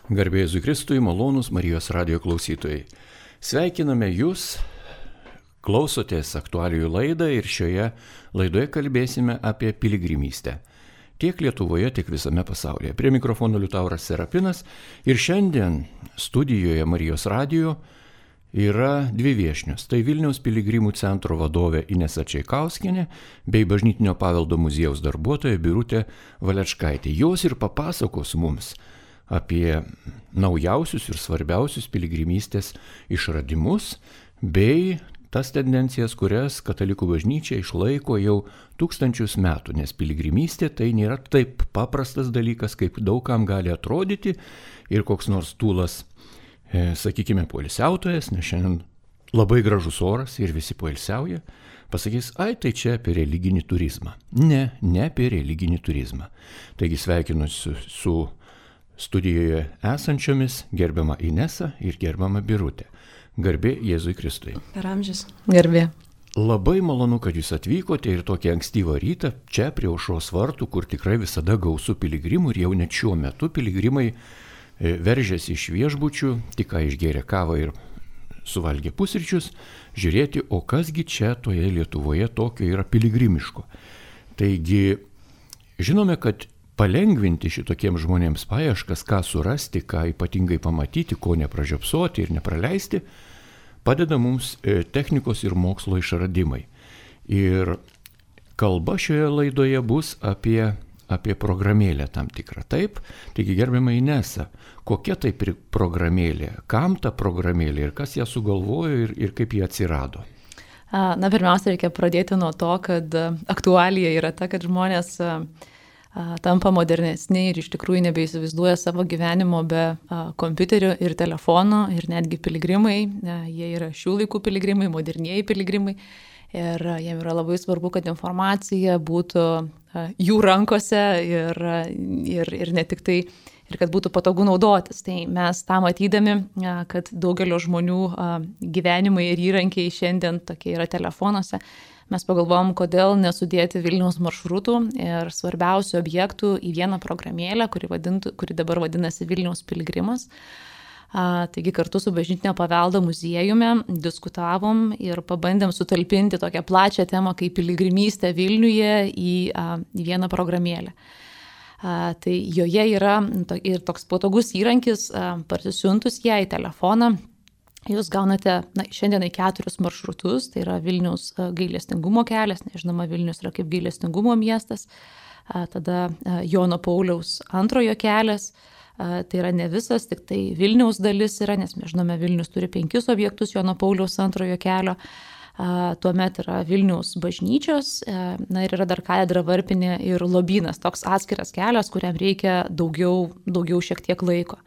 Garbė Jėzui Kristui, malonūs Marijos radijo klausytojai. Sveikiname Jūs, klausotės aktualijų laidą ir šioje laidoje kalbėsime apie piligrimystę. Tiek Lietuvoje, tiek visame pasaulyje. Prie mikrofono Liutauras Serapinas ir šiandien studijoje Marijos radijo yra dvi viešnios. Tai Vilniaus piligrimų centro vadovė Inesa Čaikauskienė bei Bažnytinio paveldo muziejaus darbuotoja Birutė Valečkaitė. Jos ir papasakos mums apie naujausius ir svarbiausius piligrimystės išradimus bei tas tendencijas, kurias katalikų bažnyčia išlaiko jau tūkstančius metų, nes piligrimystė tai nėra taip paprastas dalykas, kaip daugam gali atrodyti ir koks nors tūlas, sakykime, poilsiautojas, nes šiandien labai gražus oras ir visi poilsiauja, pasakys, ai tai čia apie religinį turizmą. Ne apie religinį turizmą. Taigi sveikinuosi su studijoje esančiomis gerbiama Inesa ir gerbiama Birutė. Garbė Jėzui Kristui. Per amžius. Garbė. Labai malonu, kad jūs atvykote ir tokį ankstyvą rytą čia prie aušros vartų, kur tikrai visada gausu piligrimų ir jau net šiuo metu piligrimai veržiasi iš viešbučių, tik ką išgėrė kavą ir suvalgė pusryčius, žiūrėti, o kasgi čia toje Lietuvoje tokio yra piligrimiško. Taigi, žinome, kad palengvinti šitokiems žmonėms paieškas, ką surasti, ką ypatingai pamatyti, ko nepražiopsoti ir nepraleisti, padeda mums technikos ir mokslo išradimai. Ir kalba šioje laidoje bus apie programėlę tam tikrą. Taip, taigi gerbiama Inesa, kokia tai programėlė, kam ta programėlė ir kas ją sugalvojo ir kaip ji atsirado? Na, pirmiausia, reikia pradėti nuo to, kad aktualija yra ta, kad žmonės tampa modernesni ir iš tikrųjų nebeįsivaizduoja savo gyvenimo be kompiuterio ir telefono ir netgi piligrimai, jie yra šių laikų piligrimai, modernieji piligrimai ir jiem yra labai svarbu, kad informacija būtų jų rankose ir ne tik tai, ir kad būtų patogu naudotis. Tai mes tą matydami, kad daugelio žmonių gyvenimai ir įrankiai šiandien tokie yra telefonuose, mes pagalvojom, kodėl nesudėti Vilniaus maršrutų ir svarbiausių objektų į vieną programėlę, kuri dabar vadinasi Vilniaus piligrimas. Taigi kartu su Bažnytinio paveldo muziejumi diskutavom ir pabandėm sutalpinti tokią plačią temą kaip piligrimystė Vilniuje į vieną programėlę. Tai joje yra ir toks patogus įrankis, parsisiuntus ją į telefoną. Jūs gaunate šiandienai 4 maršrutus, tai yra Vilniaus gailestingumo kelias, nežinoma, Vilnius yra kaip gailestingumo miestas, tada Jono Pauliaus antrojo kelias, tai yra ne visas, tik tai Vilniaus dalis yra, nes mes žinome, Vilnius turi 5 objektus Jono Pauliaus antrojo kelio, tuomet yra Vilniaus bažnyčios, ir yra dar katedra varpinė ir lobynas, toks atskiras kelias, kuriam reikia daugiau šiek tiek laiko.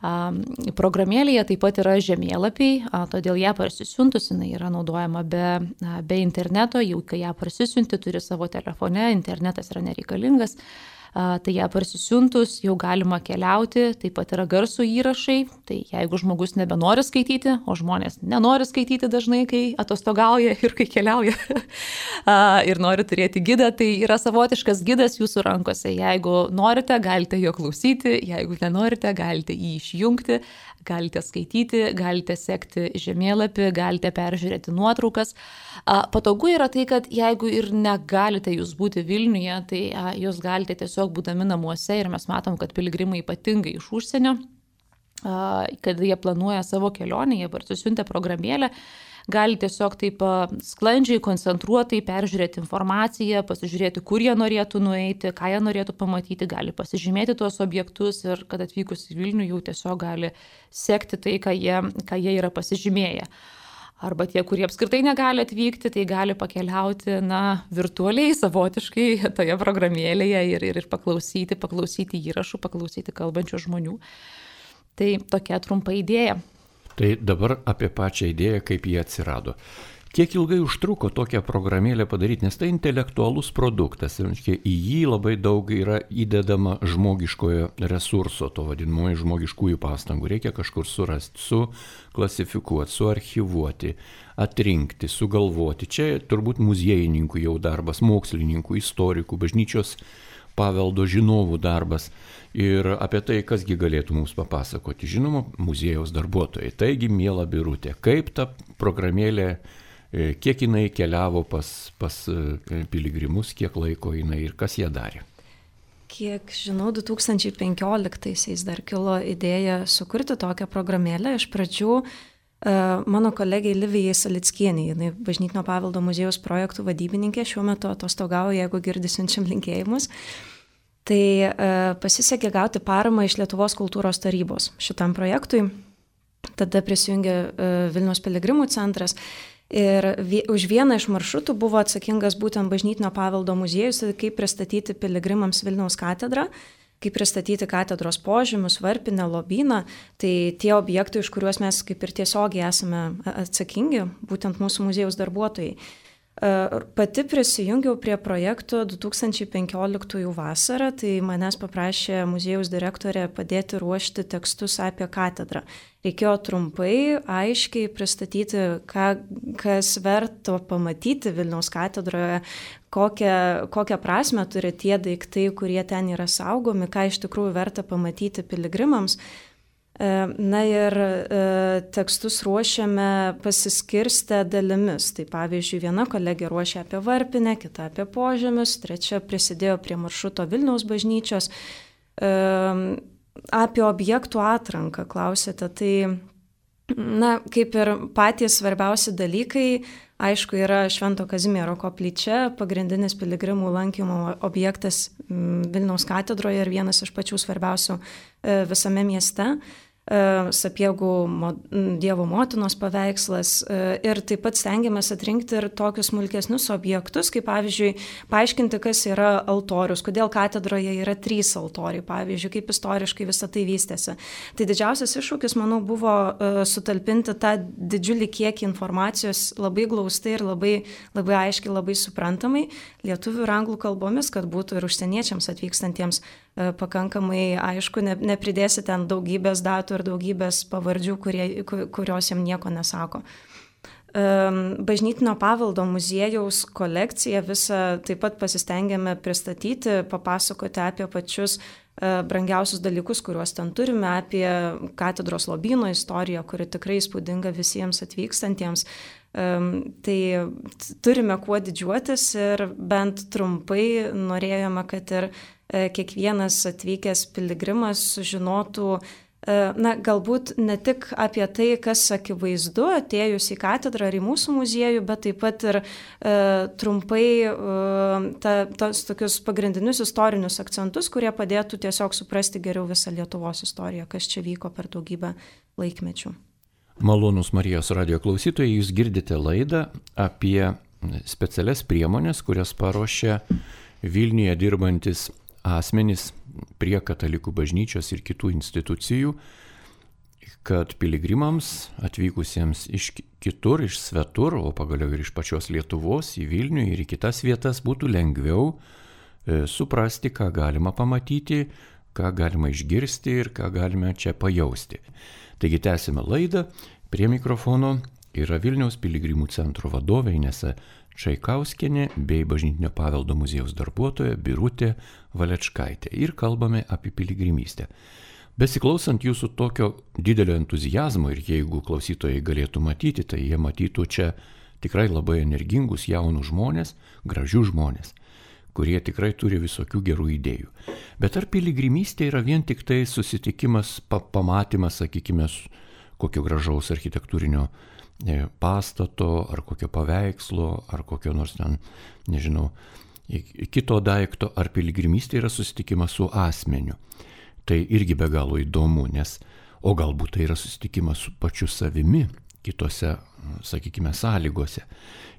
Programėlėje taip pat yra žemėlapiai, todėl ją parsisiuntus, jinai yra naudojama be interneto, jau kai ją parsisiunti, turi savo telefone, internetas yra nereikalingas, tai ją parsisiuntus jau galima keliauti, taip pat yra garso įrašai, tai jeigu žmogus nebenori skaityti, o žmonės nenori skaityti dažnai, kai atostogauja ir kai keliauja ir nori turėti gidą, tai yra savotiškas gidas jūsų rankose. Jeigu norite, galite jo klausyti, jeigu nenorite, galite jį išjungti, galite skaityti, galite sekti žemėlapį, galite peržiūrėti nuotraukas. Patogu yra tai, kad jeigu ir negalite jūs būti Vilniuje, tai jūs galite tiesiog būdami namuose ir mes matom, kad piligrimai ypatingai iš užsienio, kad jie planuoja savo kelionę, jie parsisiuntę programėlę, gali tiesiog taip sklandžiai, koncentruotai peržiūrėti informaciją, pasižiūrėti, kur jie norėtų nueiti, ką jie norėtų pamatyti, gali pasižymėti tuos objektus ir kad atvykus į Vilnių jau tiesiog gali sekti tai, ką jie yra pasižymėję. Arba tie, kurie apskritai negali atvykti, tai gali pakeliauti, virtualiai, savotiškai toje programėlėje ir paklausyti įrašų, paklausyti kalbančių žmonių. Tai tokia trumpa idėja. Tai dabar apie pačią idėją, kaip jie atsirado. Kiek ilgai užtruko tokią programėlę padaryti, nes tai intelektualus produktas, į jį labai daug yra įdedama žmogiškojo resurso, to vadinamojo žmogiškųjų pastangų. Reikia kažkur surasti, suklasifikuoti, suarchyvuoti, atrinkti, sugalvoti. Čia turbūt muziejininkų jau darbas, mokslininkų, istorikų, bažnyčios paveldo žinovų darbas. Ir apie tai, kasgi galėtų mums papasakoti, žinoma, muziejaus darbuotojai. Taigi, miela Birutė, kaip ta programėlė, kiek jinai keliavo pas piligrimus, kiek laiko jinai ir kas ją darė? Kiek žinau, 2015-aisiais dar kilo idėja sukurti tokią programėlę. Iš pradžių mano kolegė Livijai Salickienė, jinai Bažnytinio paveldo muziejaus projektų vadybininkė, šiuo metu atostogauja, jeigu girdi, siunčiam linkėjimus. Tai pasisekė gauti paramą iš Lietuvos kultūros tarybos šitam projektui. Tada prisijungė Vilniaus piligrimų centras. Ir už vieną iš maršrutų buvo atsakingas būtent Bažnytinio paveldo muziejus, kaip pristatyti piligrimams Vilniaus katedrą, kaip pristatyti katedros požymius, varpinę, lobyną. Tai tie objektai, iš kuriuos mes kaip ir tiesiogiai esame atsakingi, būtent mūsų muziejaus darbuotojai. Pati prisijungiau prie projekto 2015 vasarą, tai manęs paprašė muziejaus direktorė padėti ruošti tekstus apie katedrą. Reikėjo trumpai, aiškiai pristatyti, kas verto pamatyti Vilniaus katedroje, kokią prasmę turi tie daiktai, kurie ten yra saugomi, ką iš tikrųjų verta pamatyti piligrimams. Na ir tekstus ruošiame pasiskirstę dalimis. Tai pavyzdžiui, viena kolegė ruošia apie varpinę, kita apie požemius, trečia prisidėjo prie maršruto Vilniaus bažnyčios. Apie objektų atranką klausėte. Tai, kaip ir patys svarbiausi dalykai, aišku, yra Švento Kazimiero koplyčia, pagrindinis piligrimų lankymo objektas Vilniaus katedroje ir vienas iš pačių svarbiausių visame mieste. Sapiegų Dievo motinos paveikslas ir taip pat stengiamės atrinkti ir tokius smulkesnius objektus, kaip pavyzdžiui, paaiškinti, kas yra altorius, kodėl katedroje yra 3 altoriai, pavyzdžiui, kaip istoriškai visą tai vystėsi. Tai didžiausias iššūkis, manau, buvo sutalpinti tą didžiulį kiekį informacijos labai glaustai ir labai aiškiai, labai suprantamai, lietuvių ir anglų kalbomis, kad būtų ir užsieniečiams atvykstantiems pakankamai aišku, nepridėsi ten daugybės datų ir daugybės pavardžių, kurios jam nieko nesako. Bažnytinio paveldo muziejaus kolekciją visą taip pat pasistengėme pristatyti, papasakoti apie pačius brangiausius dalykus, kuriuos ten turime, apie katedros lobyno istoriją, kuri tikrai įspūdinga visiems atvykstantiems. Tai turime kuo didžiuotis ir bent trumpai norėjome, kad ir kiekvienas atvykęs piligrimas sužinotų, galbūt ne tik apie tai, kas akivaizdu atėjus į katedrą ar į mūsų muziejų, bet taip pat ir trumpai tos tokius pagrindinius istorinius akcentus, kurie padėtų tiesiog suprasti geriau visą Lietuvos istoriją, kas čia vyko per daugybę laikmečių. Malonūs Marijos radijo klausytojai, jūs girdite laidą apie specialias priemonės, kurias paruošė Vilniuje dirbantis asmenys prie katalikų bažnyčios ir kitų institucijų, kad piligrimams atvykusiems iš kitur, iš svetur, o pagaliau ir iš pačios Lietuvos į Vilnių ir į kitas vietas būtų lengviau suprasti, ką galima pamatyti, ką galima išgirsti ir ką galime čia pajausti. Taigi tęsime laidą. Prie mikrofono yra Vilniaus piligrimų centro vadovė Inesa Čaikauskienė bei Bažnytinio paveldo muziejaus darbuotoja Birutė Valečkaitė. Ir kalbame apie piligrimystę. Besiklausant jūsų tokio didelio entuzijazmo ir jeigu klausytojai galėtų matyti, tai jie matytų čia tikrai labai energingus jaunus žmonės, gražius žmonės, kurie tikrai turi visokių gerų idėjų. Bet ar piligrimystė yra vien tik tai susitikimas, pamatymas, sakykime, kokio gražaus architektūrinio pastato, ar kokio paveikslo, ar kokio nors ten, nežinau, kito daikto, ar piligrimystė yra susitikimas su asmeniu. Tai irgi be galo įdomu, o galbūt tai yra susitikimas su pačiu savimi, kitose, sakykime, sąlygose.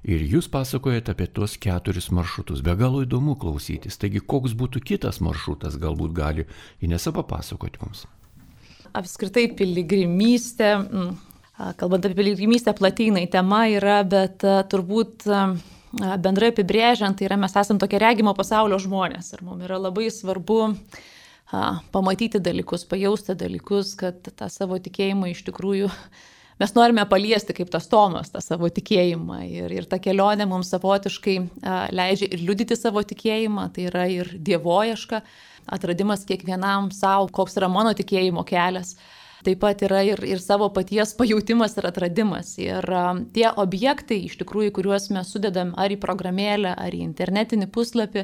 Ir jūs pasakojate apie tuos 4 maršrutus. Be galo įdomu klausytis. Taigi, koks būtų kitas maršrutas, galbūt gali Inesa papasakoti mums. Apskritai piligrimystė, kalbant apie piligrimystę, platynai tema yra, bet turbūt bendrai apibrėžiant, tai yra mes esame tokie regimo pasaulio žmonės ir mums yra labai svarbu pamatyti dalykus, pajausti dalykus, kad tą savo tikėjimą iš tikrųjų mes norime paliesti kaip tas Tomas, tą savo tikėjimą ir ta kelionė mums savotiškai leidžia ir liudyti savo tikėjimą, tai yra ir dievoieška, atradimas kiekvienam savo, koks yra mano tikėjimo kelias. Taip pat yra ir savo paties pajautimas ir atradimas. Ir tie objektai, iš tikrųjų, kuriuos mes sudedam ar į programėlę, ar į internetinį puslapį,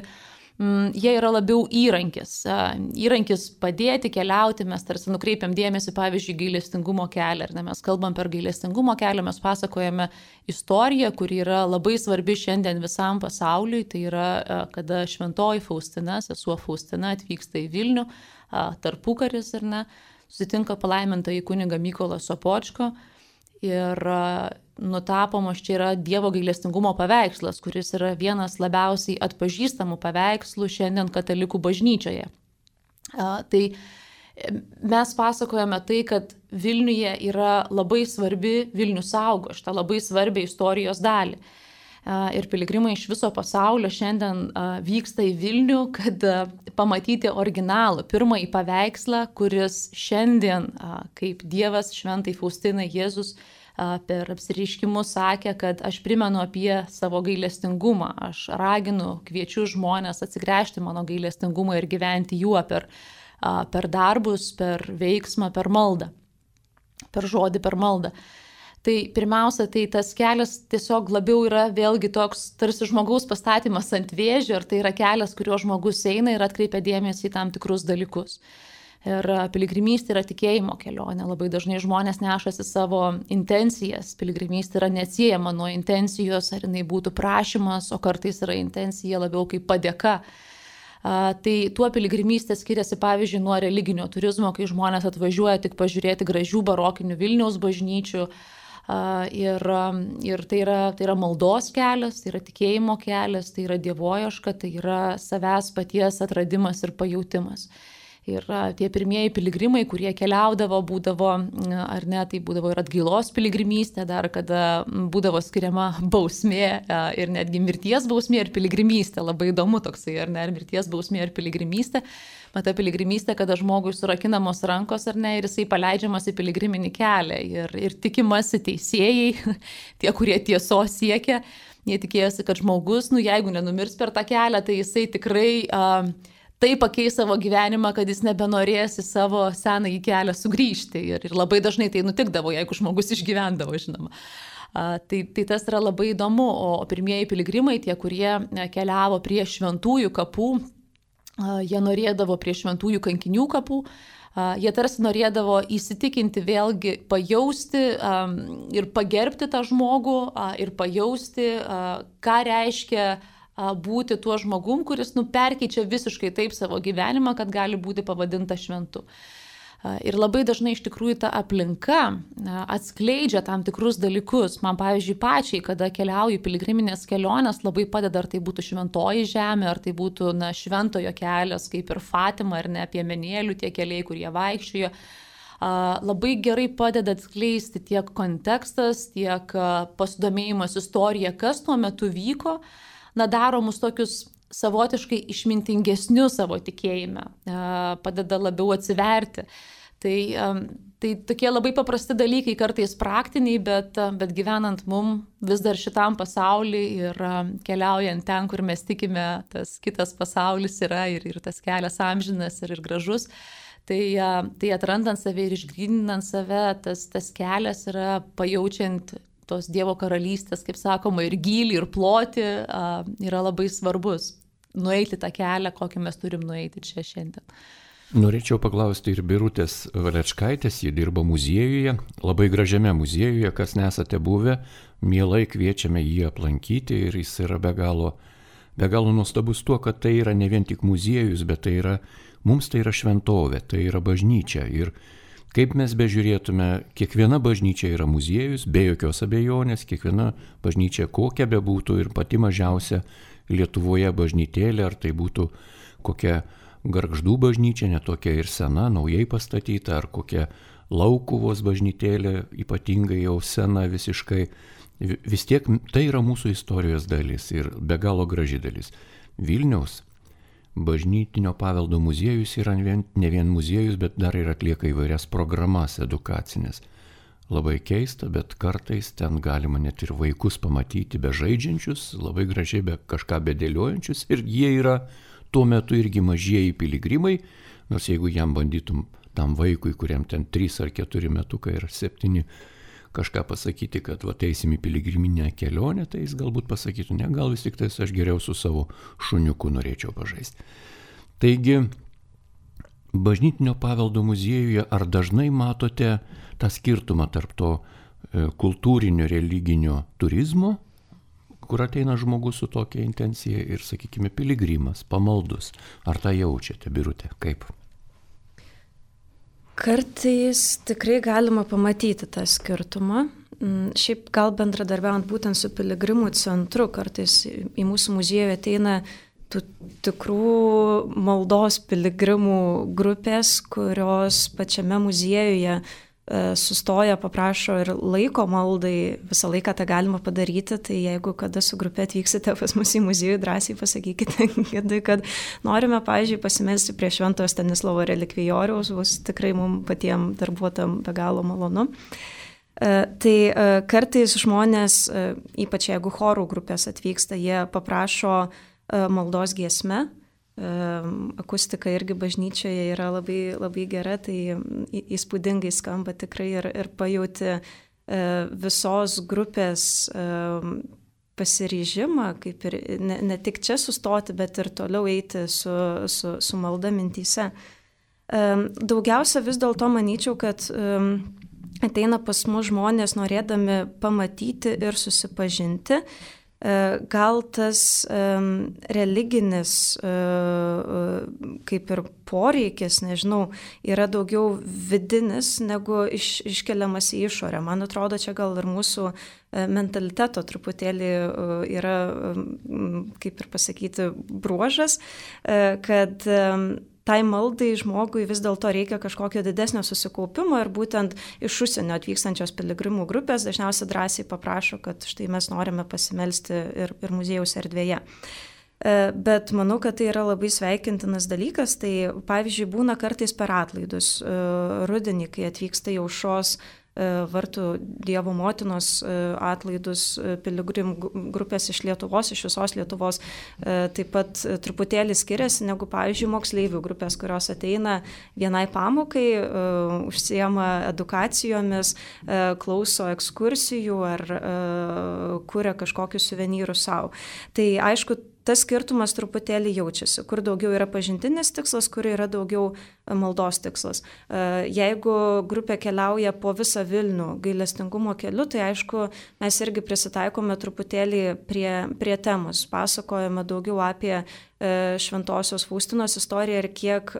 jie yra labiau įrankis. Įrankis padėti keliauti, mes tarsi nukreipiam dėmesį, pavyzdžiui, gailestingumo kelią. Ir mes kalbam per gailestingumo kelią, mes pasakojame istoriją, kuri yra labai svarbi šiandien visam pasauliui. Tai yra, kada šventoji Faustina, sesuo Faustina atvyksta į Vilnių, tarpukaris, ar ne, susitinka palaimintąjį kunigą Mykolą Sopočko ir nutapomos čia yra Dievo gailestingumo paveikslas, kuris yra vienas labiausiai atpažįstamų paveikslų šiandien katalikų bažnyčioje. Tai mes pasakojame tai, kad Vilniuje yra labai svarbi, Vilnius saugo šitą labai svarbią istorijos dalį. Ir piligrimai iš viso pasaulio šiandien vyksta į Vilnių, kad pamatyti originalų, pirmąjį paveikslą, kuris šiandien, kaip Dievas šventai Faustinai Jėzus per apsireiškimus sakė, kad aš primenu apie savo gailestingumą, aš raginu, kviečiu žmonės atsigręžti mano gailestingumą ir gyventi juo per darbus, per veiksmą, per maldą, per žodį, per maldą. Tai pirmiausia, tai tas kelias tiesiog labiau yra vėlgi toks tarsi žmogaus pastatymas ant vėžio, ir tai yra kelias, kuriuo žmogus eina ir atkreipia dėmesį į tam tikrus dalykus. Ir piligrimystė yra tikėjimo kelionė. Labai dažnai žmonės nešasi savo intencijas. Piligrimystė yra neatsiejama nuo intencijos, ar jinai būtų prašymas, o kartais yra intencija labiau kaip padėka. Tai tuo piligrimystė skiriasi, pavyzdžiui, nuo religinio turizmo, kai žmonės atvažiuoja tik pažiūrėti gražių barokinių Vilniaus bažnyčių. Ir tai yra maldos kelias, tai yra tikėjimo kelias, tai yra dievoieška, tai yra savęs paties atradimas ir pajautimas. Ir tie pirmieji piligrimai, kurie keliaudavo, būdavo, ar ne, tai būdavo ir atgailos piligrimystė, dar kada būdavo skiriama bausmė ir netgi mirties bausmė ir piligrimystė. Labai įdomu toksai, ar ne, ar mirties bausmė ir piligrimystė. Mata piligrimystė, kada žmogui surakinamos rankos, ar ne, ir jisai paleidžiamas į piligriminį kelią. Ir tikimasi teisėjai, tie, kurie tiesos siekia, jie tikėjosi, kad žmogus, jeigu nenumirs per tą kelią, tai jisai tikrai tai pakeis savo gyvenimą, kad jis nebenorės į savo senąjį kelią sugrįžti. Ir labai dažnai tai nutikdavo, jeigu žmogus išgyvendavo, žinoma. Tai tas yra labai įdomu. O pirmieji piligrimai, tie, kurie keliavo prie šventųjų kapų, jie norėdavo prie šventųjų kankinių kapų, jie tarsi norėdavo įsitikinti, vėlgi pajausti ir pagerbti tą žmogų ir pajausti, ką reiškia būti tuo žmogum, kuris perkeičia visiškai taip savo gyvenimą, kad gali būti pavadinta šventu. Ir labai dažnai iš tikrųjų ta aplinka atskleidžia tam tikrus dalykus. Man, pavyzdžiui, pačiai, kada keliauju piligriminės kelionės, labai padeda, ar tai būtų šventoji žemė, ar tai būtų šventojo kelias, kaip ir Fatima, ar ne, piemenėlių tie keliai, kurie vaikščiojo. Labai gerai padeda atskleisti tiek kontekstas, tiek pasidomėjimas istorija, kas tuo metu vyko, daro mus tokius savotiškai išmintingesnius savo tikėjime, padeda labiau atsiverti. Tai tokie labai paprasti dalykai, kartais praktiniai, bet gyvenant mum vis dar šitam pasauly ir keliaujant ten, kur mes tikime, tas kitas pasaulis yra ir tas kelias amžinas ir gražus. Tai atrandant save ir išgryninant save, tas kelias yra pajaučiant tos Dievo karalystės, kaip sakoma, ir gylį, ir plotį, yra labai svarbus. Nueiti tą kelią, kokį mes turim nueiti čia šiandien. Norėčiau paklausti ir Birutės Valečkaitės, ji dirba muziejuje, labai gražiame muziejuje, kas nesate buvę, mielai kviečiame jį aplankyti ir jis yra be galo nuostabus tuo, kad tai yra ne vien tik muziejus, bet mums tai yra šventovė, tai yra bažnyčia. Ir kaip mes bežiūrėtume, kiekviena bažnyčia yra muziejus, be jokios abejonės, kiekviena bažnyčia kokia bebūtų ir pati mažiausia Lietuvoje bažnytėlė, ar tai būtų kokia Gargždų bažnyčia, netokia ir sena, naujai pastatyta, ar kokia Laukuvos bažnytėlė, ypatingai jau sena visiškai, vis tiek tai yra mūsų istorijos dalis ir be galo graži dalis. Vilniaus bažnytinio paveldo muziejus yra ne vien muziejus, bet dar ir atlieka įvairias programas edukacinės. Labai keista, bet kartais ten galima net ir vaikus pamatyti bežaidžiančius, labai gražiai kažką bedėliojančius, ir jie yra tuo metu irgi mažieji piligrimai, nors jeigu jam bandytum tam vaikui, kuriam ten 3 ar 4 metukai ir 7 kažką pasakyti, kad va eisim į piligriminę kelionę, tai jis galbūt pasakytų, ne, gal vis tik tais aš geriau su savo šuniuku norėčiau pažaisti. Taigi, Bažnytinio paveldo muziejuje ar dažnai matote tą skirtumą tarp to kultūrinio, religinio turizmo, kur ateina žmogus su tokia intencija ir, sakykime, piligrimas, pamaldus. Ar tą jaučiate, Birutė? Kaip? Kartais tikrai galima pamatyti tą skirtumą. Šiaip gal bendradarbiaujant būtent su piligrimų centru, kartais į mūsų muziejų ateina tų tikrų maldos piligrimų grupės, kurios pačiame muziejuje sustoja, paprašo ir laiko maldai, visą laiką tą galima padaryti, tai jeigu kada su grupė atvyksite pas mus į muziejų, drąsiai pasakykite, kad norime, pavyzdžiui, pasimelsti prie Šventojo Stanislovo relikvijoriaus, bus tikrai mums patiems darbuotojams be galo malonu. Tai kartais žmonės, ypač jeigu chorų grupės atvyksta, jie paprašo maldos giesme. Akustika irgi bažnyčioje yra labai, labai gera, tai įspūdingai skamba tikrai ir pajauti visos grupės pasiryžimą, kaip ir ne tik čia sustoti, bet ir toliau eiti su malda mintyse. Daugiausia vis dėlto manyčiau, kad ateina pas mus žmonės norėdami pamatyti ir susipažinti. Gal tas religinis kaip ir poreikis, nežinau, yra daugiau vidinis negu iškeliamas į išorę. Man atrodo, čia gal ir mūsų mentaliteto truputėlį yra, kaip ir pasakyti, bruožas, kad tai maldai žmogui vis dėlto reikia kažkokio didesnio susikaupimo ir būtent iš užsienio atvykstančios piligrimų grupės dažniausiai drąsiai paprašo, kad štai mes norime pasimelsti ir muziejaus erdvėje. Bet manau, kad tai yra labai sveikintinas dalykas. Tai pavyzdžiui būna kartais per atlaidus rudenį, kai atvyksta į Aušros vartų Dievo motinos atlaidus piligrimų grupės iš Lietuvos, iš visos Lietuvos, taip pat truputėlį skiriasi negu, pavyzdžiui, moksleivių grupės, kurios ateina vienai pamokai, užsiema edukacijomis, klauso ekskursijų ar kuria kažkokius suvenyrus savo. Tai aišku, tas skirtumas truputėlį jaučiasi, kur daugiau yra pažintinis tikslas, kur yra daugiau maldos tikslas. Jeigu grupė keliauja po visą Vilnių gailestingumo keliu, tai aišku, mes irgi prisitaikome truputėlį prie temos. Pasakojame daugiau apie Šventosios Faustinos istoriją ir kiek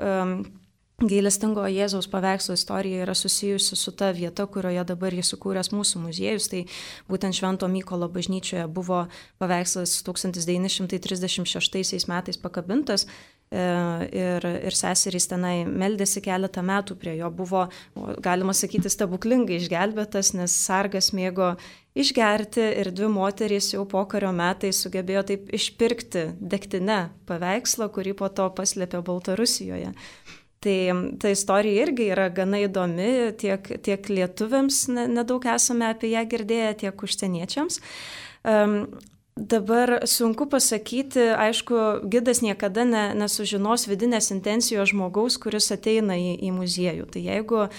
gailestingo Jėzaus paveikslo istorija yra susijusi su ta vieta, kurioje dabar įsikūręs mūsų muziejus. Tai būtent Švento Mykolo bažnyčioje buvo paveikslas 1936 metais pakabintas ir seserys tenai meldėsi keletą metų prie jo. Buvo, galima sakyti, stebuklingai išgelbėtas, nes sargas mėgo išgerti ir 2 moterys jau pokario metais sugebėjo taip išpirkti degtinę paveikslą, kurį po to paslėpė Baltarusijoje. Tai ta istorija irgi yra gana įdomi, tiek lietuviams nedaug esame apie ją girdėję, tiek užsieniečiams. Dabar sunku pasakyti, aišku, gidas niekada nesužinos vidinės intencijos žmogaus, kuris ateina į muziejų. Tai jeigu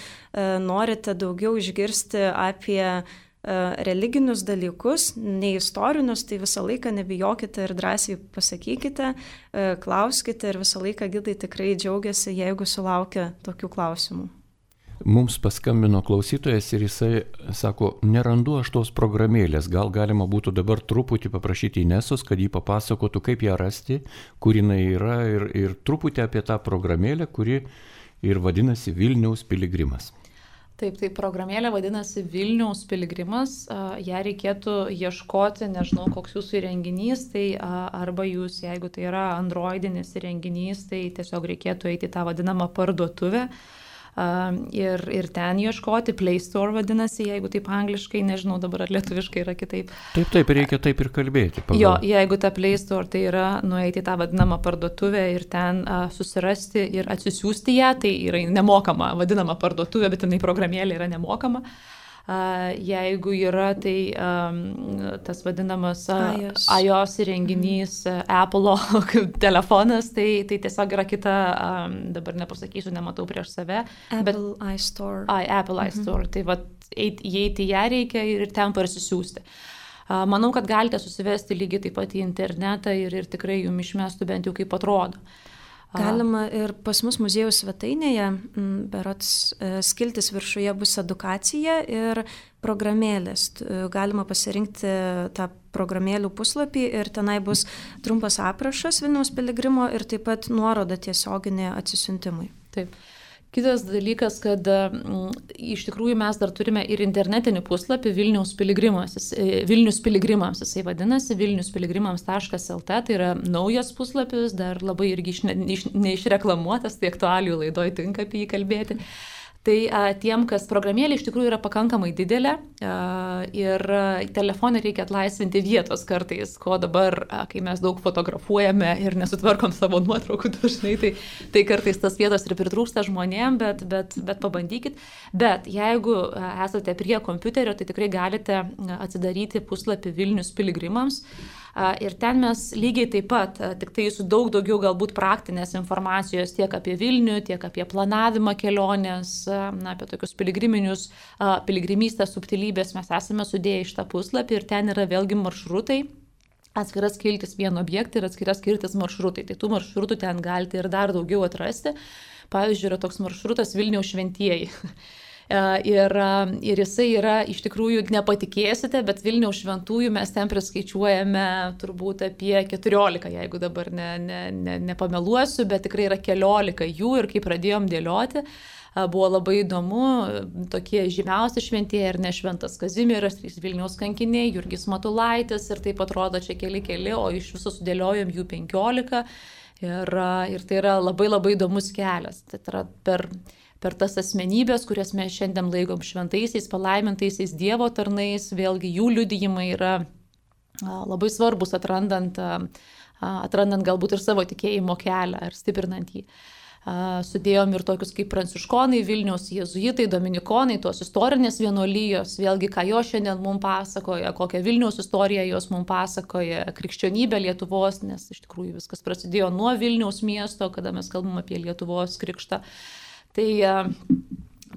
norite daugiau išgirsti apie religinius dalykus, ne istorinius, tai visą laiką nebijokite ir drąsiai pasakykite, klauskite ir visą laiką gidai tikrai džiaugiasi, jeigu sulaukia tokių klausimų. Mums paskambino klausytojas ir jisai sako, nerandu aš tos programėlės, gal galima būtų dabar truputį paprašyti Inesos, kad jį papasakotų, kaip ją rasti, kur jinai yra ir truputį apie tą programėlę, kuri ir vadinasi Vilniaus piligrimas. Taip, tai programėlė vadinasi Vilniaus piligrimas, ją reikėtų ieškoti, nežinau, koks jūsų įrenginys, tai arba jūs, jeigu tai yra androidinis įrenginys, tai tiesiog reikėtų eiti į tą vadinamą parduotuvę ir ten ieškoti, Play Store vadinasi, jeigu taip angliškai, nežinau dabar ar lietuviškai yra kitaip. Taip, reikia taip ir kalbėti. Jo, jeigu ta Play Store, tai yra nueiti į tą vadinamą parduotuvę ir ten susirasti ir atsisiųsti ją, tai yra nemokama vadinama parduotuvė, bet jinai programėlė yra nemokama. Jeigu yra, tai tas vadinamas iOS įrenginys, Apple telefonas, tai tiesiog yra kita, dabar nepasakysiu, nematau prieš save. Apple iStore. Apple iStore. Tai įeiti ją reikia ir ten parsisiųsti. Manau, kad galite susivesti lygiai taip pat į internetą ir tikrai jums išmestų bent jau kaip atrodo. Galima ir pas mus muziejaus svetainėje, berods skiltis viršuje bus edukacija ir programėlės. Galima pasirinkti tą programėlių puslapį ir tenai bus trumpas aprašas Vilniaus piligrimo ir taip pat nuoroda tiesioginė atsisiuntimui. Taip. Kitas dalykas, kad iš tikrųjų mes dar turime ir internetinį puslapį Vilnius piligrimams, jisai vadinasi vilniuspiligrimams.lt, tai yra naujas puslapis, dar labai irgi neišreklamuotas, tai aktualijų laidoj tinka apie jį kalbėti. Tai tiem, kas programėlė iš tikrųjų yra pakankamai didelė ir telefonai reikia atlaisvinti vietos kartais, ko dabar, kai mes daug fotografuojame ir nesutvarkom savo nuotraukų dažnai, tai kartais tas vietos ir pritrūksta žmonėm, bet pabandykit. Bet jeigu esate prie kompiuterio, tai tikrai galite atsidaryti puslapį Vilnius piligrimams. Ir ten mes lygiai taip pat, tik tai su daug daugiau galbūt praktinės informacijos tiek apie Vilnių, tiek apie planavimą kelionės, apie tokius piligrimystės subtilybės mes esame sudėję iš tą puslapį ir ten yra vėlgi maršrutai, atskiras skiltis vieno objektą ir atskiras skiltis maršrutai. Tai tų maršrutų ten galite ir dar daugiau atrasti. Pavyzdžiui, yra toks maršrutas Vilniaus šventieji. Ir jisai yra, iš tikrųjų, nepatikėsite, bet Vilniaus šventųjų mes ten priskaičiuojame turbūt apie 14, jeigu dabar nepameluosiu, bet tikrai yra 14 jų ir kai pradėjom dėlioti, buvo labai įdomu, tokie žymiausi šventieji ir ne Šventas Kazimieras, Vilniaus kankiniai, Jurgis Matulaitis ir taip atrodo čia keli, o iš viso sudėliojom jų 15 ir tai yra labai labai įdomus kelias. Tai yra per tas asmenybės, kurias mes šiandien laikom šventaisiais, palaimintaisiais Dievo tarnais, vėlgi jų liudijimai yra labai svarbus atrandant galbūt ir savo tikėjimo kelią ir stiprinant jį. Sudėjom ir tokius kaip pranciškonai Vilniaus, jėzuitai, dominikonai, tos istorinės vienuolijos, vėlgi ką jo šiandien mums pasakoja, kokią Vilniaus istoriją jos mums pasakoja, krikščionybė Lietuvos, nes iš tikrųjų viskas prasidėjo nuo Vilniaus miesto, kada mes kalbam apie Lietuvos krikštą. Tai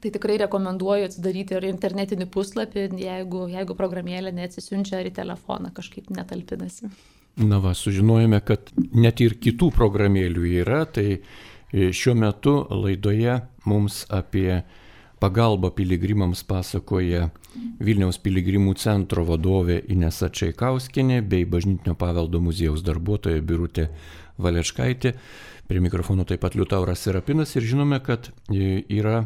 tikrai rekomenduoju atsidaryti ir internetinį puslapį, jeigu programėlė neatsisiunčia ar į telefoną kažkaip netalpinasi. Na va, sužinojome, kad net ir kitų programėlių yra, tai šiuo metu laidoje mums apie pagalbą piligrimams pasakoja Vilniaus piligrimų centro vadovė Inesa Čaikauskienė bei Bažnytinio paveldo muziejaus darbuotoja Birutė Valečkaitė. Prie mikrofono taip pat Liutauras Serapinas ir žinome, kad yra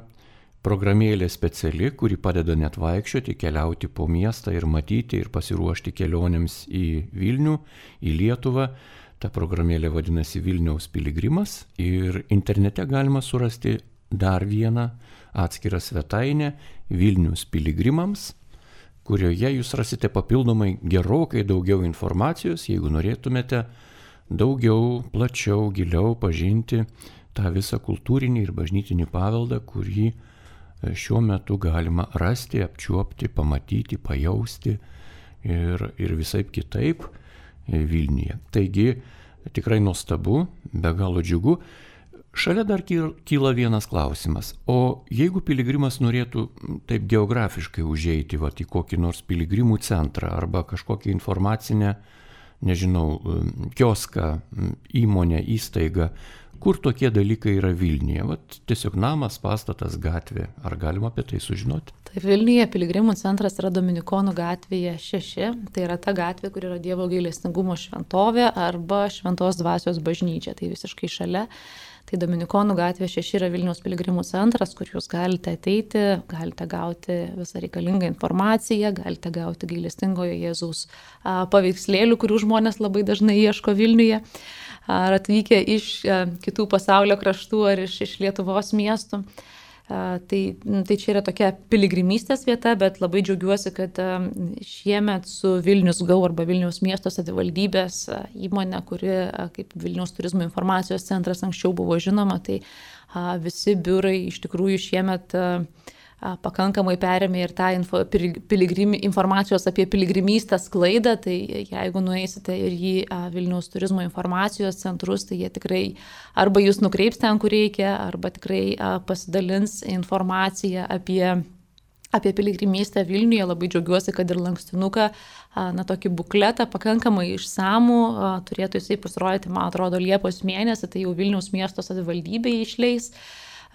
programėlė speciali, kuri padeda net vaikščioti, keliauti po miestą ir matyti ir pasiruošti kelionėms į Vilnių, į Lietuvą. Ta programėlė vadinasi Vilniaus piligrimas ir internete galima surasti dar vieną atskirą svetainę Vilnius piligrimams, kurioje jūs rasite papildomai gerokai daugiau informacijos, jeigu norėtumėte daugiau, plačiau, giliau pažinti tą visą kultūrinį ir bažnytinį paveldą, kurį šiuo metu galima rasti, apčiuopti, pamatyti, pajausti ir visaip kitaip Vilniuje. Taigi tikrai nuostabu, be galo džiugu. Šalia dar kyla vienas klausimas. O jeigu piligrimas norėtų taip geografiškai užeiti į kokį nors piligrimų centrą arba kažkokią informacinę, nežinau, kioską, įmonę, įstaigą, kur tokie dalykai yra Vilniuje? Tiesiog namas, pastatas, gatvė. Ar galima apie tai sužinoti? Tai Vilniuje piligrimų centras yra Dominikonų gatvėje 6. Tai yra ta gatvė, kur yra Dievo gailestingumo šventovė arba Šventos dvasios bažnyčia. Tai visiškai šalia. Tai Dominikonų gatvė 6 yra Vilniaus piligrimų centras, kur jūs galite ateiti, galite gauti visą reikalingą informaciją, galite gauti gailestingojo Jėzaus paveikslėlių, kurių žmonės labai dažnai ieško Vilniuje, ar atvykę iš kitų pasaulio kraštų ar iš Lietuvos miestų. Tai čia yra tokia piligrimystės vieta, bet labai džiaugiuosi, kad šiemet su Vilnius Go arba Vilniaus miesto savivaldybės įmonė, kuri kaip Vilniaus turizmo informacijos centras anksčiau buvo žinoma, tai visi biurai iš tikrųjų šiemet pakankamai perėmė ir tą informacijos apie piligrimystę sklaidą, tai jeigu nueisite ir į Vilniaus turizmo informacijos centrus, tai jie tikrai arba jūs nukreips ten, kur reikia, arba tikrai pasidalins informaciją apie piligrimystę Vilniuje. Labai džiaugiuosi, kad ir lankstinuką, tokį bukletą pakankamai išsamų, turėtų jisai pasirodyti, man atrodo, Liepos mėnesį, tai jau Vilniaus miesto savivaldybė išleis.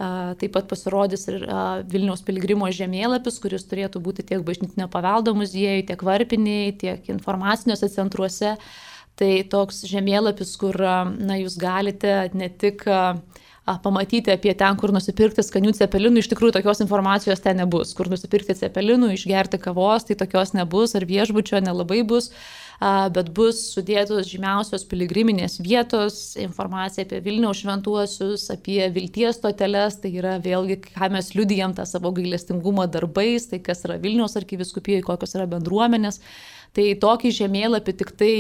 Taip pat pasirodys ir Vilniaus piligrimo žemėlapis, kuris turėtų būti tiek bažnytinio paveldo muziejui, tiek varpiniai, tiek informaciniuose centruose. Tai toks žemėlapis, kur jūs galite ne tik pamatyti apie ten, kur nusipirkti skanių cepelinų, iš tikrųjų tokios informacijos ten nebus. Kur nusipirkti cepelinų, išgerti kavos, tai tokios nebus, ar viešbučio nelabai bus, bet bus sudėtos žymiausios piligriminės vietos, informacija apie Vilniaus šventuosius, apie vilties stoteles, tai yra vėlgi, ką mes liudijam tą savo gailestingumo darbais, tai kas yra Vilniaus arkivyskupijoje, kokios yra bendruomenės. Tai tokį žemėlapį tik tai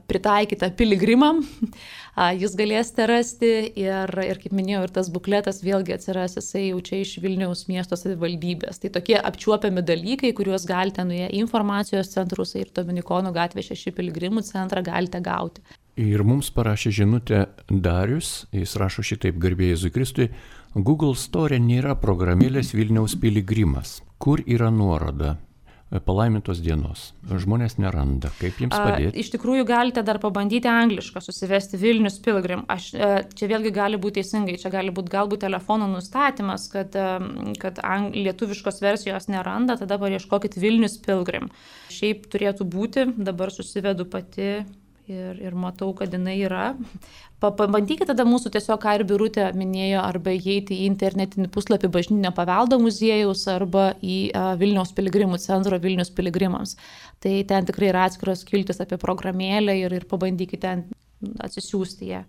pritaikytą piligrimam jūs galėsite rasti ir kaip minėjau, ir tas bukletas vėlgi atsiras, jisai jau čia iš Vilniaus miesto savivaldybės. Tai tokie apčiuopiami dalykai, kuriuos galite nuėję į informacijos centrus ir Dominikonų gatvė 6 piligrimų centrą galite gauti. Ir mums parašė žinutę Darius, jis rašo šitaip: garbė Jėzui Kristui, Google Store nėra programėlės Vilniaus piligrimas. Kur yra nuoroda? Palaimintos dienos. Žmonės neranda. Kaip jiems padėti? Iš tikrųjų galite dar pabandyti anglišką susivesti Vilnius Pilgrim. Čia vėlgi gali būti teisingai, čia gali būti galbūt telefono nustatymas, kad lietuviškos versijos neranda, tada paieškokit Vilnius Pilgrim. Šiaip turėtų būti, dabar susivedu pati ir matau, kad jinai yra. Pabandykite tada mūsų tiesiog, ką ir Birutė minėjo, arba įeiti į internetinį puslapį Bažnytinio paveldo muziejaus arba į Vilniaus piligrimų centro Vilnius piligrimams. Tai ten tikrai yra atskiros skiltis apie programėlę ir pabandykite ten atsisiųsti ją.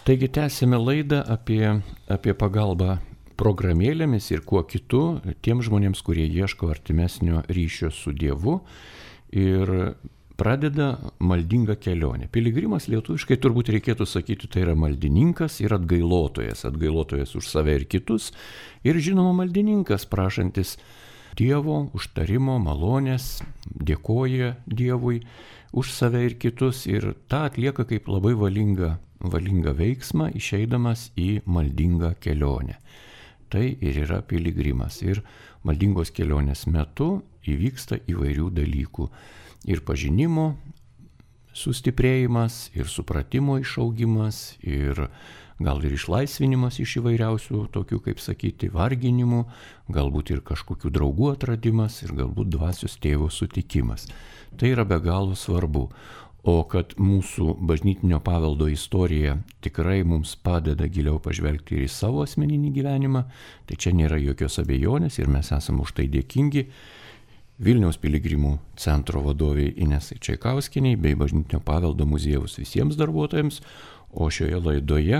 Taigi tęsime laidą apie pagalbą programėlėmis ir kuo kitu tiems žmonėms, kurie ieško artimesnio ryšio su Dievu ir pradeda maldingą kelionę. Piligrimas lietuviškai turbūt reikėtų sakyti, tai yra maldininkas ir atgailotojas. Atgailotojas už save ir kitus. Ir žinoma maldininkas, prašantis Dievo užtarimo, malonės, dėkoja Dievui už save ir kitus. Ir tą atlieka kaip labai valingą veiksmą, išeidamas į maldingą kelionę. Tai ir yra piligrimas. Ir maldingos kelionės metu įvyksta įvairių dalykų. Ir pažinimo sustiprėjimas, ir supratimo išaugimas, ir gal ir išlaisvinimas iš įvairiausių tokių, kaip sakyti, varginimų, galbūt ir kažkokių draugų atradimas, ir galbūt dvasios tėvo sutikimas. Tai yra be galo svarbu. O kad mūsų bažnytinio paveldo istorija tikrai mums padeda giliau pažvelgti ir į savo asmeninį gyvenimą, tai čia nėra jokios abejonės ir mes esame už tai dėkingi Vilniaus piligrimų centro vadoviai Inesai Čaikauskieniai bei Bažnytinio paveldo muziejaus visiems darbuotojams, o šioje laidoje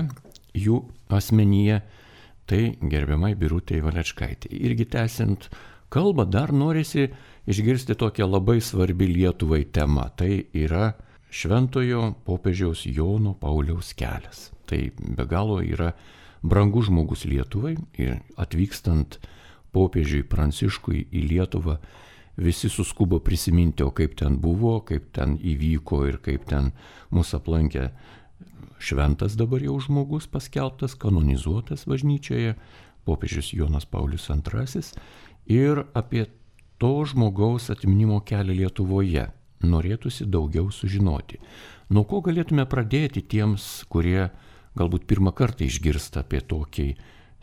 jų asmenyje tai gerbiamai Birutei Valečkaitei. Irgi tęsiant kalbą, dar norisi išgirsti tokią labai svarbi Lietuvai temą. Tai yra šventojo popiežiaus Jono Pauliaus kelias. Tai be galo yra brangus žmogus Lietuvai ir atvykstant popiežiui Pranciškui į Lietuvą visi suskubo prisiminti, o kaip ten buvo, kaip ten įvyko ir kaip ten mus aplankė šventas dabar jau žmogus paskelbtas, kanonizuotas bažnyčioje, popiežius Jonas Paulius II. Ir apie to žmogaus atminimo kelią Lietuvoje norėtųsi daugiau sužinoti. Nuo ko galėtume pradėti tiems, kurie galbūt pirmą kartą išgirsta apie tokį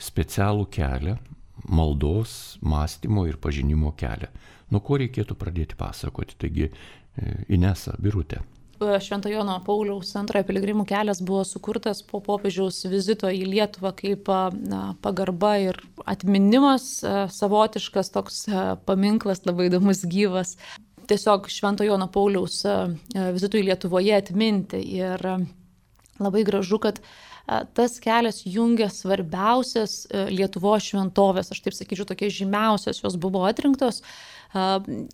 specialų kelią, maldos, mąstymo ir pažinimo kelią. Nuo ko reikėtų pradėti pasakoti? Taigi, Inesa, Birutė. Švento Jono Pauliaus II piligrimų kelias buvo sukurtas po popiežiaus vizito į Lietuvą kaip pagarba ir atminimas, savotiškas toks paminklas, labai įdomus, gyvas. Tiesiog Švento Jono Pauliaus vizitui Lietuvoje atminti. Ir labai gražu, kad tas kelias jungia svarbiausias Lietuvos šventovės, aš taip sakyčiau, tokie žymiausios, jos buvo atrinktos.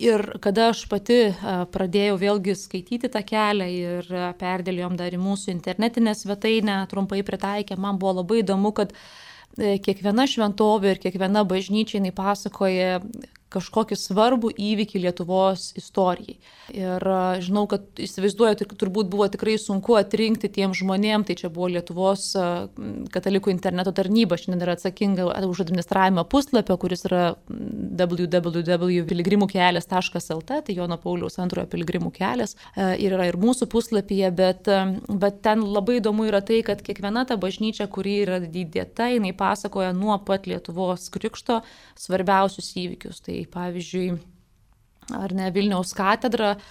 Ir kada aš pati pradėjau vėlgi skaityti tą kelią ir perdėliojom dar į mūsų internetinę svetainę, trumpai pritaikę, man buvo labai įdomu, kad kiekviena šventovė ir kiekviena bažnyčia jinai pasakoja kažkokį svarbų įvykį Lietuvos istorijai. Ir žinau, kad įsivaizduoju, turbūt buvo tikrai sunku atrinkti tiem žmonėm, tai čia buvo Lietuvos katalikų interneto tarnyba, šiandien yra atsakinga už administravimą puslapio, kuris yra www.piligrimukelias.lt, tai Jono Pauliaus II piligrimų kelias, ir yra ir mūsų puslapyje, bet ten labai įdomu yra tai, kad kiekviena ta bažnyčia, kuri yra įdėta, jinai pasakoja nuo pat Lietuvos krikšto svarbiausius įvykius. Tai pavyzdžiui, ar ne, Vilniaus katedra,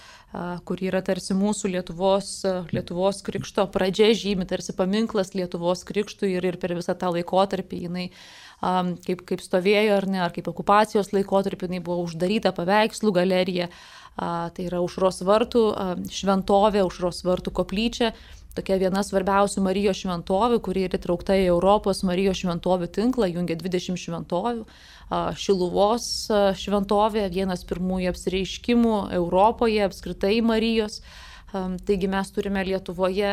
kuri yra tarsi mūsų Lietuvos krikšto pradžia, žymi tarsi paminklas Lietuvos krikštui ir per visą tą laikotarpį jinai kaip stovėjo ar ne, ar kaip okupacijos laikotarpį jinai buvo uždaryta paveikslų galerija, tai yra Aušros vartų šventovė, Aušros vartų koplyčia. Tokia viena svarbiausių Marijos šventovių, kuri yra įtraukta į Europos Marijos šventovių tinklą, jungia 20 šventovių. Šiluvos šventovė, vienas pirmųjų apsireiškimų Europoje, apskritai Marijos. Taigi mes turime Lietuvoje,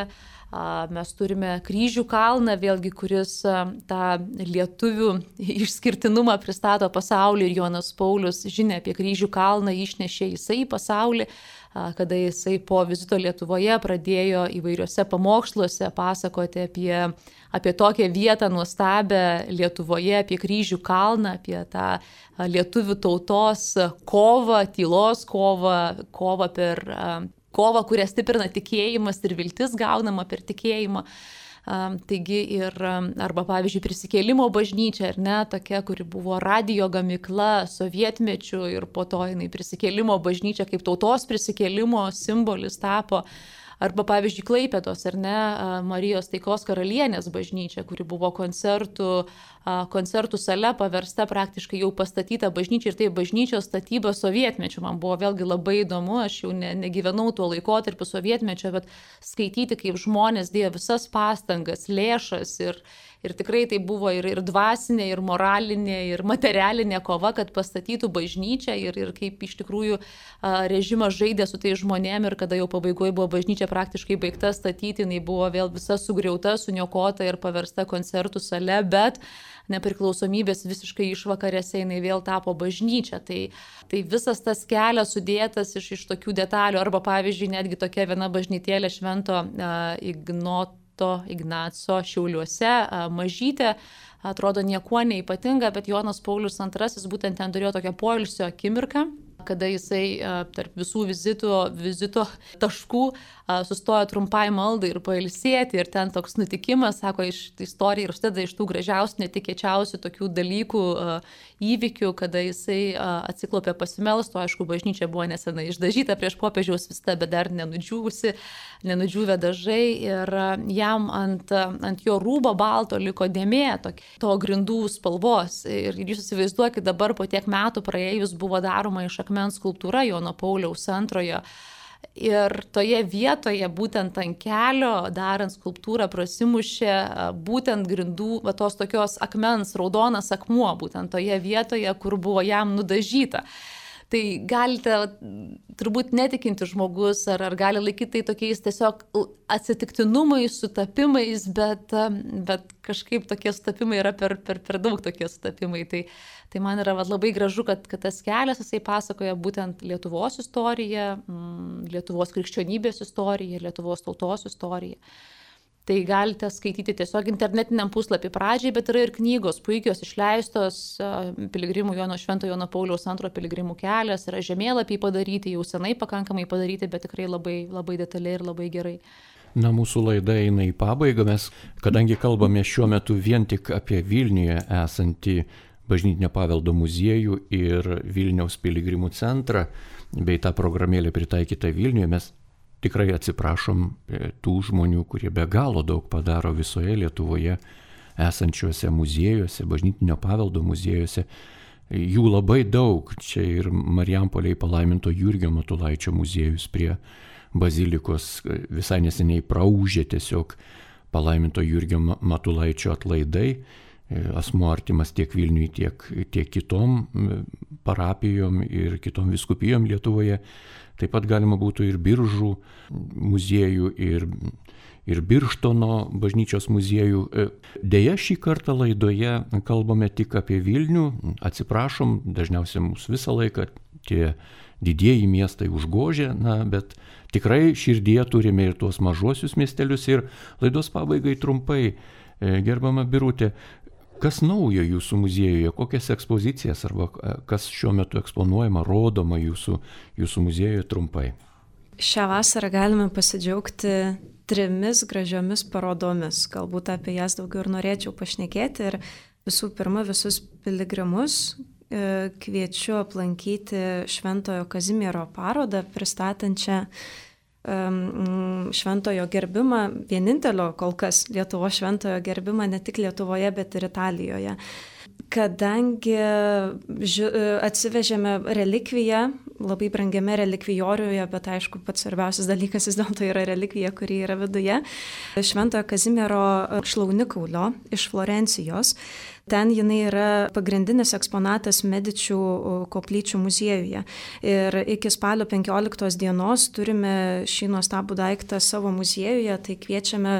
mes turime Kryžių kalną, vėlgi, kuris tą lietuvių išskirtinumą pristato pasauliu, ir Jonas Paulius žinia apie Kryžių kalną išnešė jisai į pasaulį, kada jisai po vizito Lietuvoje pradėjo įvairiuose pamoksluose pasakoti apie tokią vietą nuostabę Lietuvoje, apie Kryžių kalną, apie tą lietuvių tautos kovą, tylos kovą per kovą, kurią stiprina tikėjimas ir viltis gaunama per tikėjimą. Taigi arba pavyzdžiui prisikėlimo bažnyčia, ar ne, tokia, kuri buvo radijo gamykla sovietmečiu ir po to jinai prisikėlimo bažnyčia kaip tautos prisikėlimo simbolis tapo. Arba pavyzdžiui Klaipėdos, ar ne, Marijos taikos karalienės bažnyčia, kuri buvo koncertų sale paversta praktiškai jau pastatyta bažnyčia, ir tai bažnyčios statyba sovietmečiu. Man buvo vėlgi labai įdomu, aš jau negyvenau tuo laikotarpiu sovietmečio, bet skaityti, kaip žmonės dėjo visas pastangas, lėšas ir tikrai tai buvo ir dvasinė, ir moralinė, ir materialinė kova, kad pastatytų bažnyčią ir kaip iš tikrųjų režimas žaidė su tai žmonėm, ir kada jau pabaigoje buvo bažnyčia praktiškai baigta statyti, jinai buvo vėl visa sugriauta, suniokota ir paversta koncertų sale, bet nepriklausomybės visiškai išvakarėse jinai vėl tapo bažnyčia. Tai visas tas kelias sudėtas iš tokių detalių, arba pavyzdžiui netgi tokia viena bažnytėlė Švento Ignaco Šiauliuose, mažytė, atrodo niekuo neypatinga, bet Jonas Paulius II būtent ten turėjo tokią poilsio akimirką, kada jisai tarp visų vizito taškų sustojo trumpai maldai ir pailsėti, ir ten toks nutikimas, sako, istorija ir užsideda iš tų gražiausių, netikėčiausių tokių dalykų, įvykių, kada jisai atsiklopė pasimelsti, aišku, bažnyčia buvo nesenai išdažyta prieš popiežiaus vistą, bet dar nenudžiūvę dažai, ir jam ant jo rūbo balto liko dėmė to grindų spalvos, ir jūs įsivaizduokit, dabar po tiek metų praėjus buvo daroma iš akmens skulptūra Jono Pauliaus II. Ir toje vietoje, būtent ant kelio, darant skulptūrą, prasimušė būtent grindų, tos tokios akmens, raudonas akmuo, būtent toje vietoje, kur buvo jam nudažyta. Tai galite, turbūt netikinti žmogus, ar gali laikyti tai tokiais tiesiog atsitiktinumais, sutapimais, bet kažkaip tokie sutapimai yra per daug tokie sutapimai. Tai man yra labai gražu, kad tas kelias, jisai pasakoja būtent Lietuvos istoriją, Lietuvos krikščionybės istoriją, Lietuvos tautos istoriją. Tai galite skaityti tiesiog internetiniam puslapį pradžiai, bet yra ir knygos puikios išleistos, piligrimų Švento Jono Pauliaus II piligrimų kelias, yra žemėlapiai padaryti, jau senai pakankamai padaryti, bet tikrai labai, labai detaliai ir labai gerai. Na, mūsų laida eina į pabaigą, mes, kadangi kalbame šiuo metu vien tik apie Vilniuje esantį Bažnytinio paveldo muziejų ir Vilniaus piligrimų centrą, bei tą programėlę pritaikytą Vilniuje, mes tikrai atsiprašom tų žmonių, kurie be galo daug padaro visoje Lietuvoje esančiuose muziejuose, Bažnytinio paveldo muziejuose. Jų labai daug. Čia ir Marijampolėje palaiminto Jurgio Matulaičio muziejus prie bazilikos visai neseniai praūžė tiesiog palaiminto Jurgio Matulaičio atlaidai. Asmuo artimas tiek Vilniui, tiek kitom parapijom ir kitom vyskupijom Lietuvoje. Taip pat galima būtų ir Biržų muziejų, ir Birštono bažnyčios muziejų. Deja, šį kartą laidoje kalbame tik apie Vilnių. Atsiprašom, dažniausiai mūsų visą laiką tie didieji miestai užgožia, bet tikrai širdyje turime ir tuos mažuosius miestelius. Ir laidos pabaigai trumpai, gerbama Birutė, kas naujo jūsų muziejuje, kokias ekspozicijas arba kas šiuo metu eksponuojama, rodoma jūsų muziejuje trumpai? Šią vasarą galime pasidžiaugti 3 gražiomis parodomis. Galbūt apie jas daugiau ir norėčiau pašnekėti. Ir visų pirma, visus piligrimus kviečiu aplankyti Šventojo Kazimiero parodą, pristatančią šventojo gerbimą, vienintelio kol kas Lietuvos šventojo gerbimą ne tik Lietuvoje, bet ir Italijoje. Kadangi atsivežėme relikviją, labai brangiame relikvijoriuje, bet aišku, pats svarbiausias dalykas vis dėlto yra relikvija, kuri yra viduje, Šventojo Kazimiero šlaunikaulio iš Florencijos. Ten jinai yra pagrindinis eksponatas Medičių koplyčių muziejuje. Ir iki spalio 15 dienos turime šį nuostabų daiktą savo muziejuje, tai kviečiame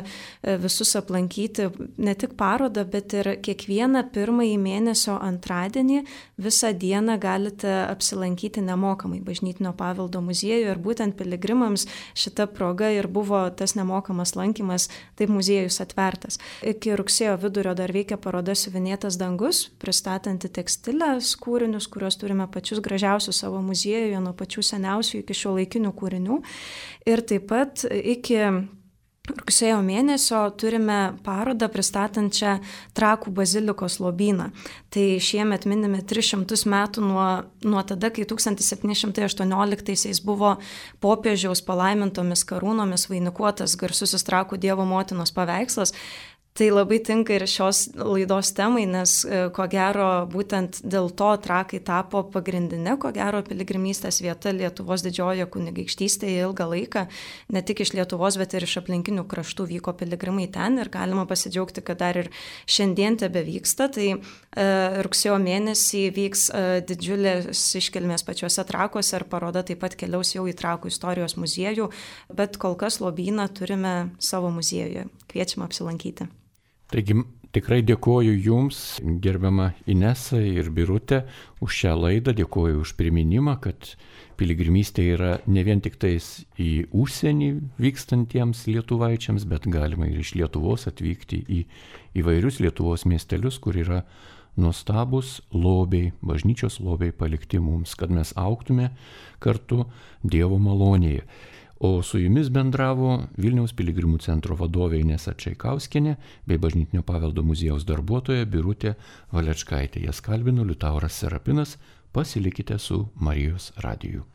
visus aplankyti ne tik parodą, bet ir kiekvieną pirmąjį mėnesio antradienį visą dieną galite apsilankyti nemokamai Bažnytinio paveldo muziejuje. Ir būtent piligrimams šita proga ir buvo tas nemokamas lankymas, taip muziejus atvertas. Iki rugsėjo vidurio dar veikia paroda Siuvinėtas dangus, pristatanti tekstilės kūrinius, kuriuos turime pačius gražiausius savo muziejuje, nuo pačių seniausių iki šiuolaikinių kūrinių. Ir taip pat iki rugsėjo mėnesio turime parodą pristatančią Trakų bazilikos lobyną. Tai šiemet minime 300 metų nuo tada, kai 1718 buvo popiežiaus palaimintomis karūnomis vainikuotas garsusis Trakų Dievo motinos paveikslas. Tai labai tinka ir šios laidos temai, nes ko gero būtent dėl to Trakai tapo pagrindinė, ko gero piligrimystės vieta Lietuvos didžiojoje kunigaikštystėje ilgą laiką. Ne tik iš Lietuvos, bet ir iš aplinkinių kraštų vyko piligrimai ten ir galima pasidžiaugti, kad dar ir šiandien tebe vyksta. Tai rugsėjo mėnesį vyks didžiulės iškilmės pačiuose Trakuose ir paroda taip pat keliaus jau į Trakų istorijos muziejų, bet kol kas lobyną turime savo muziejuje. Kviečiam apsilankyti. Taigi tikrai dėkoju Jums, gerbiama Inesa ir Birutė, už šią laidą, dėkoju už priminimą, kad piligrimystė yra ne vien tik tais į užsienį vykstantiems lietuvaičiams, bet galima ir iš Lietuvos atvykti į įvairius Lietuvos miestelius, kur yra nuostabus lobiai, bažnyčios lobiai palikti mums, kad mes augtume kartu Dievo malonėje. O su jumis bendravo Vilniaus piligrimų centro vadovė Inesa Čaikauskienė bei Bažnytinio paveldo muziejaus darbuotoja Birutė Valečkaitė. Jas kalbino Liutauras Serapinas. Pasilikite su Marijos radiju.